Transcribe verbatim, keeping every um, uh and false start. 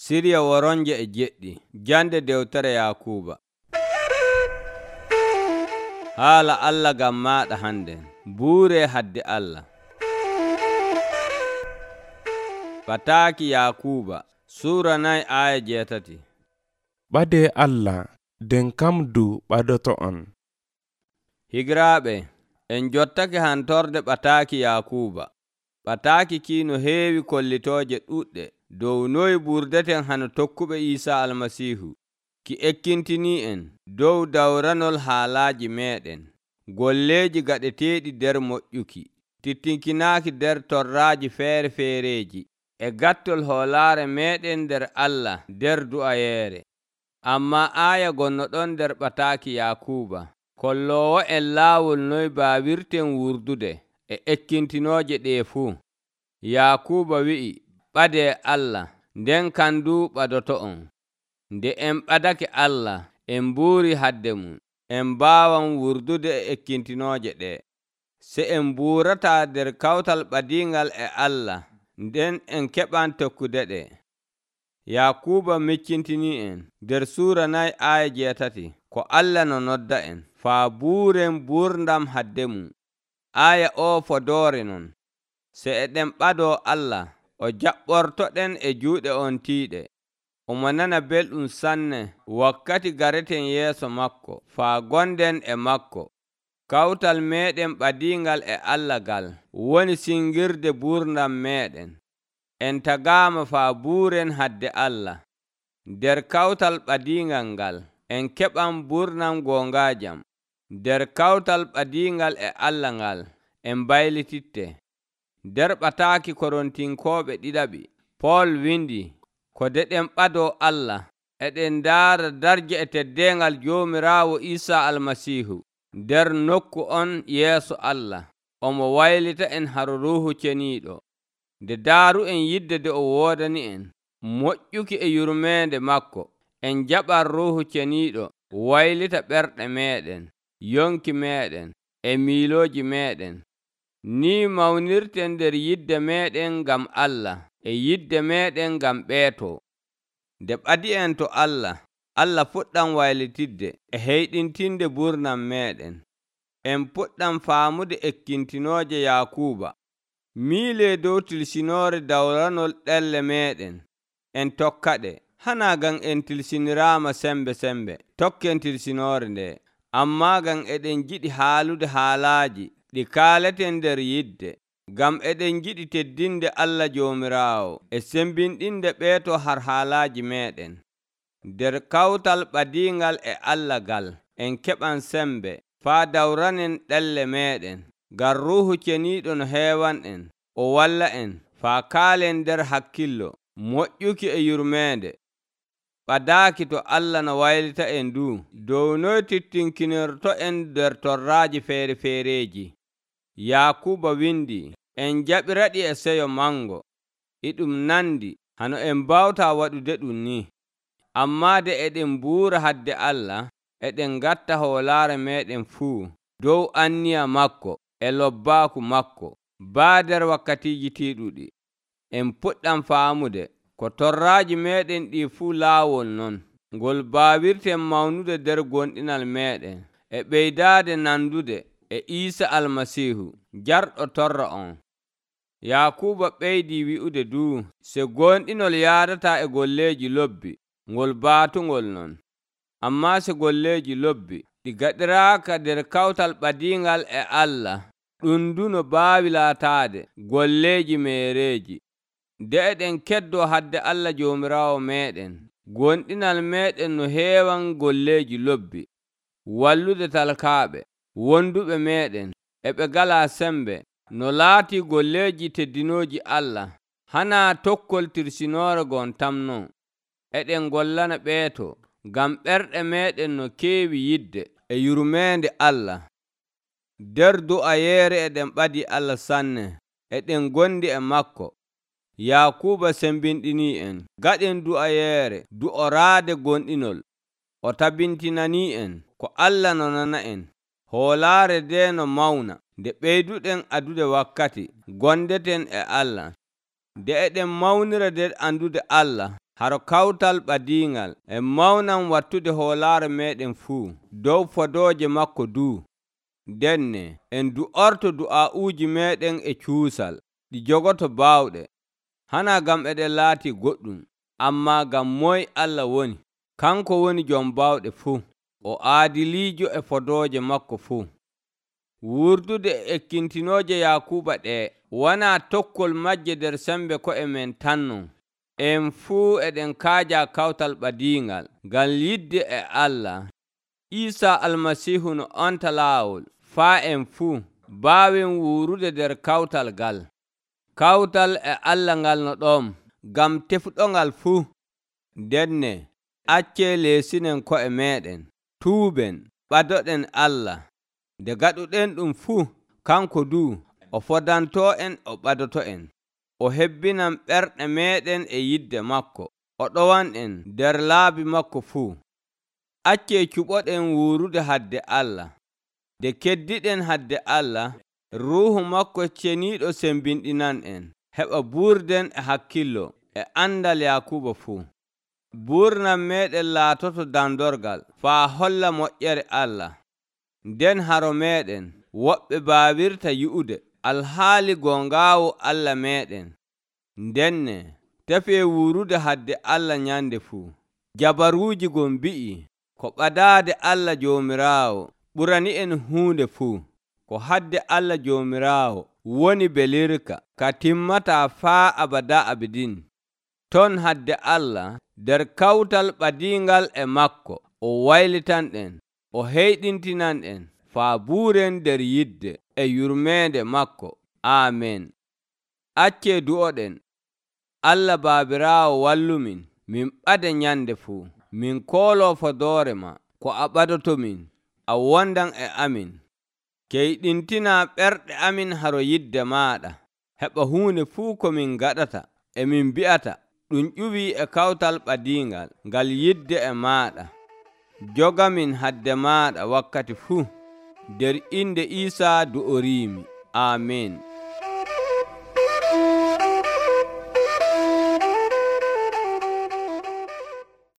Sirya woronje e jeɗɗi. Jande dewtere Yakuuba. Haala Allah ngam maaɗa hande. Buure hadde Allah. Pataaki Yakuuba Suura nayi aya jeetati. Ɓadee Allah nden kam du ɓadoto on. Higiraaɓe, en jottake hantorde ɓataaki Yakuuba. Ɓataaki kiino heewi kollitooje ɗuɗɗe dow noy ɓurdeten hano tokkuɓe Iisaa Almasiihu ki ekkintinii en dow dawranol haalaaji meeɗen, golleeji gaɗeteeɗi nder moƴƴuki, tittinkinaaki nder torraaji feere-feereeji, e gattol hoolaare meeɗen nder Allah nder du'ayeere. Ammaa aaya gonno ɗon nder ɓataaki Yakuuba kolloowo en laawol noy baawirten wurdude e ekkintinooje ɗee fuu. Yakuuba wi'i, ɓadee Allah, nden kandu ɓadoto on. Nde en ɓadake Allah, en mbuuri hadde mum, en mbaawan wurdude e ekkintinooje ɗee. Se en mbuurataa nder kawtal ɓadiingal e Allah, nden en keɓan tokkude ɗe. Yakuuba miccintinii en nder suura nayi aya jeetati ko Allah no nodda en faa buuren buurdam hadde mum. Aya o fodoore non. Se eɗen ɓadoo Allah, o jaɓɓortoɗen e juuɗe on tiiɗe. Omo nana belɗum sanne wakkati gareten yeeso makko faa gonden e makko. Kawtal meeɗen ɓadiingal e Allah gal woni singirde buurdam meeɗen. En tagaama faa buuren hadde Allah. Nder kawtal ɓadiingal ngal en keɓan buurdam goongaajam. Nder kawtal ɓadiingal e Allah ngal en mbaylititte. Nder ɓataaki Korontinkooɓe ɗiɗaɓi, Pool windi, ko deɗen ɓadoo Allah, eɗen ndaara darje e teddeengal Joomiraawo Iisaa Almasiihu nder nokku on yeeso Allah. Omo waylita en haro Ruuhu Ceniiɗo. Nde daaru'en yidde nde o woodani en moƴƴuki e yurmeende makko, en jaɓan Ruuhu Ceniiɗo waylita ɓerɗe meeɗen, yonki meeɗen, e miilooji meeɗen. Ni mawnirten nder yidde meeɗen ngam Allah e yidde meeɗen ngam ɓeeto. Nde ɓadi en to Allah, Allah fuɗɗan waylitidde e heyɗintinde buurnam meeɗen. En puɗɗan faamude ekkintinooje Yakuuba. Miilee dow tilsinoore dawranol ɗelle meeɗen. En tokkaɗe, hanaa ngam en tilsiniraama sembe sembe tokken tilsinoore nde, ammaa ngam eɗen jiɗi haalude haalaaji ɗi kaaleten nder yidde, ngam eɗen jiɗi teddinde Allah Joomiraawo e sembinɗinde ɓeeto har haalaaji meeɗen. Nder kawtal ɓadiingal e Allah gal en keɓan sembe faa dawranen ɗelle meeɗen, ngam Ruuhu Ceniiɗo no heewan en, o walla en faa kaalen nder hakkillo, moƴƴuki e yurmeende. Ɓadaaki to Allah no waylita en du dow noy tittinkinorto en nder torraaji feere-feereeji. Yakuuba windi, en jaɓiraɗi e seyo mango. Iɗum nandi hano en mbawtaa waɗude ɗum ni. Ammaa de eɗen mbuura hadde Allah, eɗen ngatta hoolaare meeɗen fuu dow anniya makko e lobbaaku makko, baa nder wakkatiiji tiiɗuɗi. En puɗɗan faamude ko torraaji meeɗen ɗi fuu laawol non, ngol baawirten mawnude nder gonɗinal meeɗen e ɓeydaade nandude e Iisaa Almasiihu jarɗo torra on. Yakuuba ɓeydii wi'ude duu, se gonɗinol yaadataa e golleeji lobbi, ngol baatungol non. Ammaa se golleeji lobbi ɗi gaɗiraaka nder kawtal ɓadiingal e Allah, ɗum du no baawi laataade golleeji meereeji. Nde eɗen keddoo hadde Allah Joomiraawo meeɗen, gonɗinal meeɗen no heewan golleeji lobbi, wallude talkaaɓe, wonduɓe meeɗen, e ɓe ngalaa sembe, no laatii golleeji teddinooji Allah, hanaa tokkol tirsinoore gon tam non. Eɗen ngollana ɓeeto, ngam ɓerɗe meeɗen no keewi yidde e yurmeende Allah. Nder du'ayeere eɗen ɓadi Allah sanne, eɗen gondi e makko. Yakuuba sembinɗinii en, gaɗen du'ayeere du'oraade gonɗinol. O tabintinanii en ko Allah no nana en, hoolaare nde no mawna, nde ɓeyduɗen adude wakkati gondeten e Allah. Nde eɗen mawnira nder andude Allah, haro kawtal ɓadiiŋal e mawnan wattude hoolaare meeɗen fuu dow fodooje makko duu. Denne en du'orto du'aa'uuji meeɗen e cuusal ɗi jogoto baawɗe, hana ngam eɗen laati goɗɗum, ammaa ngam moy Allah woni. Kanko woni jom baawɗe fuu, o aadiliijo e fodooje makko fuu. Wurdude e ekkintinooje Yaakuuba ɗee wonaa tokkol majje nder sembe ko'e men tan non. En fuu eɗen kaaja kawtal ɓadiiŋal ngam yidde e Allah. Iisaa Almasiihu no onta laawol faa en fuu mbaawen wuurude nder kawtal ngal. Kawtal e Allah ngal no ɗon ngam tefuɗongal fuu. Ndenne accee leesinen ko'e meeɗen, tuuben, ɓadoɗen Allah. Nde gaɗuɗen ɗum fuu, kanko duu o fodantoo en o ɓadoto en. O hebbinan ɓerɗe meeɗen e yidde makko, o ɗowan'en nder laabi makko fuu. Accee cuɓoɗen wuurude hadde Allah. Nde keddiɗen hadde Allah, Ruuhu makko ceniiɗo sembinɗinan'en, heɓa buurden e hakkillo e andal Yaakuuba fuu. Buurnam meeɗen laatoto dandorgal faa holla moƴƴere Allah. Nden haro meeɗen woɓɓe baawirta yi'ude alhaali gongaawo Allah meeɗen. Ndenne tefee wuurude hadde Allah nyande fuu. Jabaruuji gon mbi'i ko ɓadaade Allah Joomiraawo ɓurani en huunde fuu. Ko hadde Allah Joomiraawo woni belirka ka timmataa faa abada abidin. Ton hadde Allah nder kawtal ɓadiingal e makko o waylitanɗen, o heyɗintinan'en faa buuren nder yidde e yurmeende makko. Aamen. Accee du'oɗen. Allah Baabiraawo wallumin min ɓada nyande fuu. Min kooloo fodoore ma ko a ɓadotomin, a wondan e amin. Keyɗintinaa ɓerɗe amin haro yidde maaɗa. Heɓa huunde fuu ko min gaɗata e min mbi'ata ɗum ƴuwii e kawtal ɓadiingal ngal yidde e maaɗa. Jogamin hadde maaɗa wakkati fuu. Nder inde Iisaa du'oriimi. Aamen.